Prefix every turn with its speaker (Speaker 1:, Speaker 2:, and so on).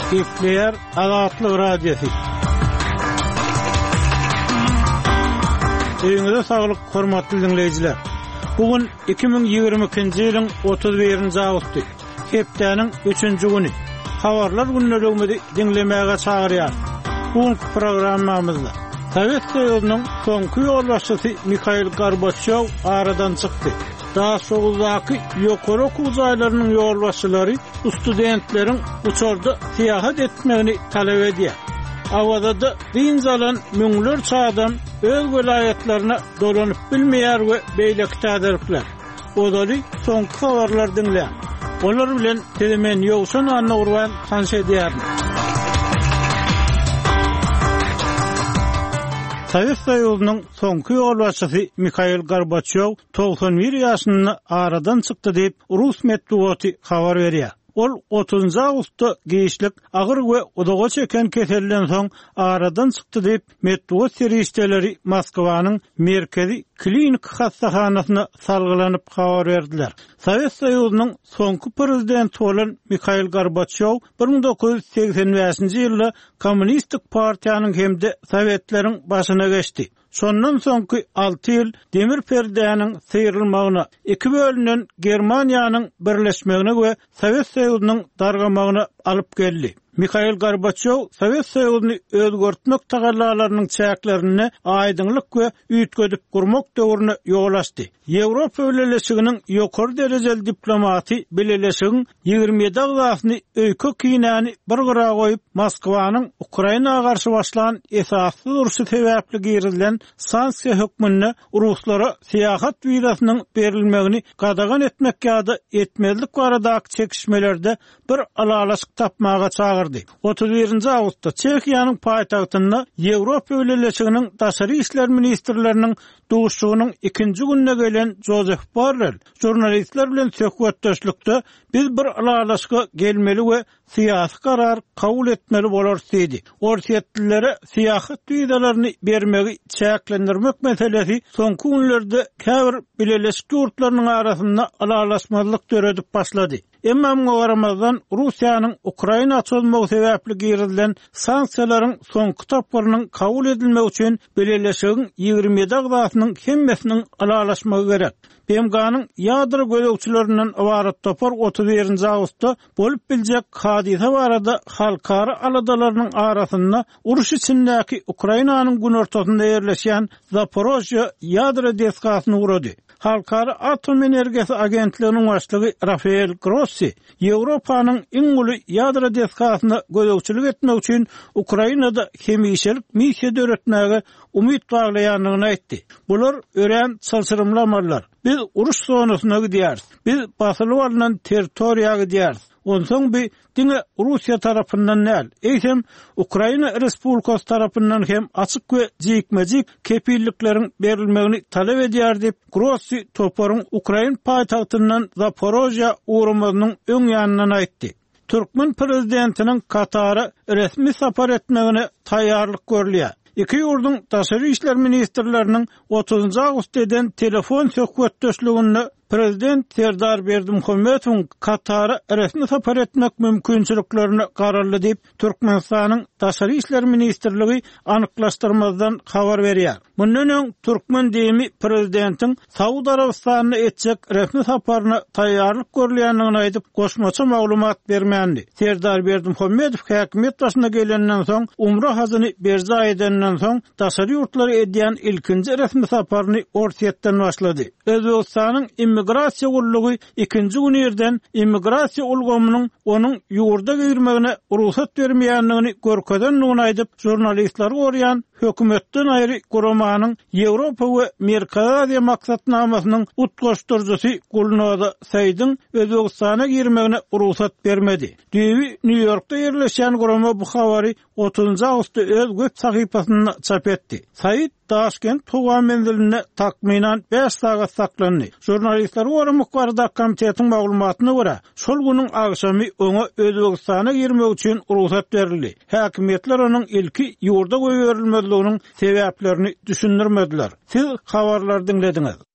Speaker 1: Gepleýär Azatlyk Radiosy. Öýüňize saglyk, hormatly diňleýjiler! Bu gün 2022-nji ýylyň 31-nji awgusty, hepdäniň üçünji güni. Habarlar gündeligimizi diňlemäge çagyrýarys. Bu günki programmamyzda Sowet Soýuzynyň soňky ýolbaşçysy Mihail Gorbaçýow aradan çykdy. Daşoguzdaky ýokary okuw jaýlarynyň ýolbaşçylary studentleriň uçarda syýahat etmegini talap edýär. Awazada dynç alan müňlerçe adam öz welaýatlaryna dolanyp bilmeýär we beýleki täzelikler. Ozaly soňky habarlary diňläň. Olar bilen sizi men Ýowşan Annagurban tanyş edýärin. Sowet Soýuzynyň soňky ýolbaşçysy Mihail Gorbaçýow 91 ýaşynda aradan çykdy diýip, rus metbugaty habar berýär. Ol otuzynjy awgustda giçlik agyr we uzaga çeken keselden soň aradan çykdy diýip, metbugat serişdeleri Moskwanyň Merkezi kliniki hassahanasyna salgylanyp habar berdiler. Sowet Soýuzynyň soňky prezidenti bolan Mihail Gorbaçýow 1985-nji ýylda Kommunistik partiýanyň hem-de Sowetleriň başyna geçdi. Şondan soňky alty ýyl demir perdäniň syrylmagyna, iki bölünen Germaniýanyň birleşmegine we Sowet Soýuzynyň dargamagyna alyp geldi. Mihail Gorbaçýow Sowet Soýuzyny özgertmek tagallalarynyň çäklerinde aýdyňlyk we üýtgedip gurmak döwrüne ýol açdy. Ýewropa Bileleşiginiň ýokary derejeli diplomaty Bileleşigiň 27 agzasyny öýke-kinäni bir gyra goýup, Moskwanyň Ukraina garşy başlan esassyz urşy sebäpli girizilen sanksiýa hökmünde ruslara syýahat wizasynyň berilmegini gadagan etmek ýa-da etmezlik baradaky çekişmelerde bir ylalaşyk tapmaga çagyrdy. 31-nji awgustda Çehiýanyň paýtagtynda Ýewropa Bileleşiginiň daşary işler ministrleriniň Duşuşygynyň ikinji gününe gelen Jozef Borrel žurnalistler bilen söhbetdeşlikde biz bir ylalaşyga gelmeli we syýasy karar kabul etmeli bolarys diýdi. Orsýetlilere syýahat wizalaryny bermegi çäklendirmek meselesi soňky günlerde käbir bileleşik ýurtlarynyň arasynda ylalaşmazlyk döredip başlady. Emma muňa garamazdan, Russiýanyň Ukraina çozmagy sebäpli girizilen sanksiýalaryň soňky tapgyrynyň kabul edilmegi üçin Bileleşigiň 27 agzasynyň hemmesiniň ylalaşmagy gerek. BMG-niň ýadro gözegçilerinden ybarat topar 31-nji awgustda bolup biljek hadysa barada halkara aladalarynyň arasynda uruş içindäki Ukrainanyň günortasynda ýerleşýän Zaporožýe ýadro desgasyna ugrady. Halkara atom energiýasy agentliginiň başlygy Rafael Grossi Ýewropanyň iň uly ýadro desgasyna gözegçilik etmek üçin Ukrainada hemişelik missiýa döretmäge umyt baglaýandygyny aýtdy. Bular örän çylşyrymly amallar. Biz uruş zonasyna gidýäris. Biz basylyp alnan territoriýa gidýäris. Onsoň bi diňe Russiýa tarapyndan däl, eýsem, Ukraina Respublikasy tarapyndan hem açyk we jikme-jik kepillikleriň berilmegini talap edýär diýip, Grossi toparyň ukrain paýtagtyndan Zaporožýa ugramazynyň öň ýanyndan aýtdy. Türkmen prezidentiniň Katara resmi sapar etmegine taýýarlyk görülýär. Iki ýurduň daşary işler ministrleriniň otuzynjy awgustda eden telefon söhbetdeşliginde Prezident Serdar Berdimuhamedowyň Katara resmi sapar etmek mümkinçiliklerine garaldy diýip, Türkmenistanyň Daşary işler ministrligi anyklaşdyrmazdan habar berýär. Mundan öň, türkmen DIM-i prezidentiň Saud Arabystanyna etjek resmi saparyna taýýarlyk görülýändigini aýdyp, goşmaça maglumat bermändi. Serdar Berdimuhamedow häkimiýet başyna gelenden soň, umra hajyny berjaý edenden soň, daşary ýurtlara edýän ilkinji resmi saparyny Orsýetden başlady. Özbegistanyň Immigrasiýa gullugy ikinji gün irden immigrasiýa ulgamynyň onuň ýurda girmegine rugsat bermeýändigini görkezendigini aýdyp, žurnalistleri goraýan hökümetden aýry guramanyň Ýewropa we Merkezi Aziýa maksatnamasynyň utgaşdyryjysy Gulnoza Saidiň Özbegistana girmegine rugsat bermedi. Düýbi Nýu-Ýorkda ýerleşýän gurama bu habary otuzynjy awgustda öz web sahypasynda çap etdi. Said Daşkent howa menzilinde takmynan bäş sagat saklandy. Žurnalistleri goramak baradaky komitetiň maglumatyna görä, şol günüň agşamy oňa Özbegistana girmek üçin rugsat berildi. Häkimiýetler onuň ilki ýurda goýberilmezliginiň sebäplerini düşündirmediler. Siz habarlary diňlediňiz.